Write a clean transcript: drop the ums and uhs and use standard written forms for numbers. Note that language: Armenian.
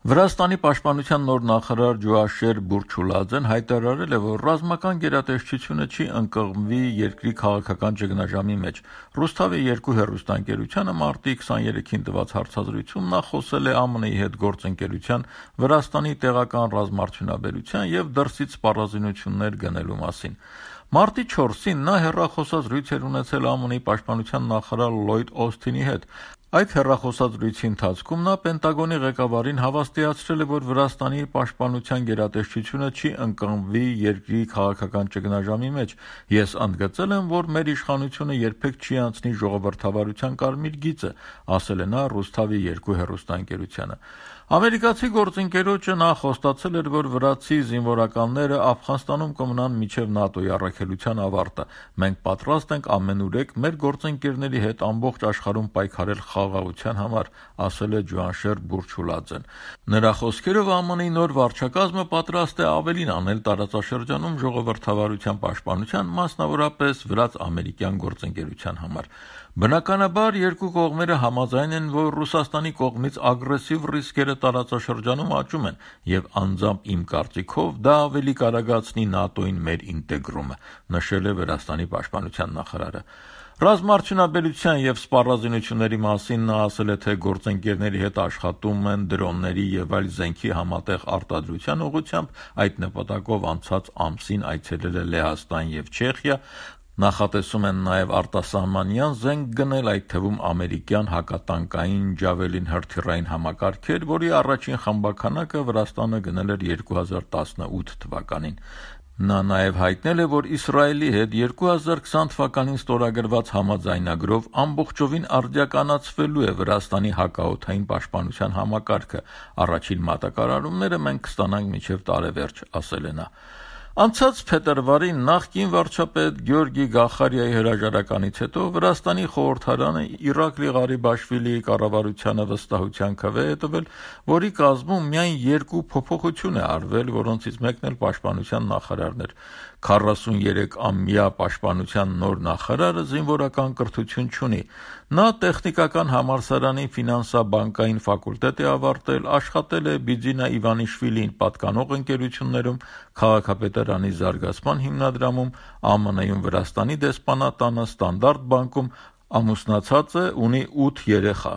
Վրաստանի պաշտպանության նոր նախարար Ջոաշեր Բուրչուլաձեն հայտարարել է, որ ռազմական գերատեսչությունը չի ընկղմվի երկրի քաղաքական ճգնաժամի մեջ։ Ռուսթավի 2 հեռուստաընկերությանը մարտի 23-ին տված հարցազրույցում նա խոսել է ԱՄՆ-ի հետ գործընկերության, Վրաստանի տեղական ռազմարդյունաբերության եւ դրսից սպառազինություններ գնելու մասին։ Մարտի 4-ին նա հեռախոսազրույց էր ունեցել ԱՄՆ-ի պաշտպանության նախարար Լլոյդ Օսթինի հետ։ Այդ հեռախոսազրույցի ընթացքում նա Պենտագոնի ղեկավարին հավաստիացրել է, որ Վրաստանի պաշտպանության գերատեսչությունը չի ընկղմվի երկրի քաղաքական ճգնաժամի մեջ։ Ես ընդգծել եմ, որ մեր իշխանությունը երբեք չի անցնի ժողովրդավարության կարմիր գիծը, ասել է նա Ռուսթավի 2 հեռուստաընկերությանը։ Ամերիկացի գործընկերոջը նա խոստացել էր, որ վրացի զինվորականները Աֆղանստանում կմնան մինչև ՆԱՏՕ-ի առաքելության ավարտը։ Մենք պատրաստ ենք ամենուրեք մեր գործընկերների հետ ամբողջ աշխարհում պայքարել խաղաղության համար, ասել է Ջոաշեր Բուրչուլաձեն։ Նրա խոսքերով ԱՄՆ-ի նոր վարչակազմը պատրաստ է ավելին անել տարածաշրջանում ժողովրդավարության պաշտպանության, մասնավորապես վրաց-ամերիկյան գործընկերության համար։ Բնականաբար երկու կողմերը համաձայն են, որ Ռուսաստանի կողմից ագրեսիվ ռիսկերը տարածաշրջանում աճում են, եւ անձամբ իմ կարծիքով դա ավելի կարագացնի ՆԱՏՕ-ին մեր ինտեգրումը, նշել է Վրաստանի պաշտպանության նախարարը։ Ռազմարդյունաբերության եւ սպառազինությունների մասին նա ասել է, թե գործընկերների հետ աշխատում են դրոնների եւ այլ զենքի համատեղ արտադրության ուղղությամբ, այդ նպատակով անցած ամսին այցելել է Լեհաստան եւ Չեխիա, նախատեսում են նաև արտասահմանյան զենք գնել, այդ թվում ամերիկյան հակատանկային Ջավելին հրթիռային համակարգեր, որի առաջին խմբաքանակը Վրաստանը գնել էր 2018 թվականին։ Նա նաև հայտնել է, որ Իսրայելի հետ 2020 թվականին ստորագրված համաձայնագրով ամբողջովին արդիականացվելու է Վրաստանի հակաօդային պաշտպանության համակարգը։ Առաջին մատակարարումները մենք կստանանք մինչև տարեվերջ, ասել է նա։ Անցած փետրվարին նախկին վարչապետ Գյորգի Գախարիայի հրաժարականից հետո Վրաստանի խորհրդարանը Իրակլի Ղարիբաշվիլիի կառավարությանը վստահության քվե է տվել, որի կազմում միայն 2 փոփոխություն է արվել, որոնցից մեկն էլ պաշտպանության նախարարն էր։ 43-ամյա պաշտպանության նոր նախարարը զինվորական կրթություն չունի։ Նա տեխնիկական համալսարանի ֆինանսա-բանկային ֆակուլտետ է ավարտել, աշխատել է Բիձինա Իվանիշվիլիին պատկանող ընկերություններում, քաղաքապետարանի զարգացման հիմնադրամում, ԱՄՆ-ում Վրաստանի դեսպանատանը, Ստանդարտ բանկում, ամուսնացած է, ունի 8 երեխա։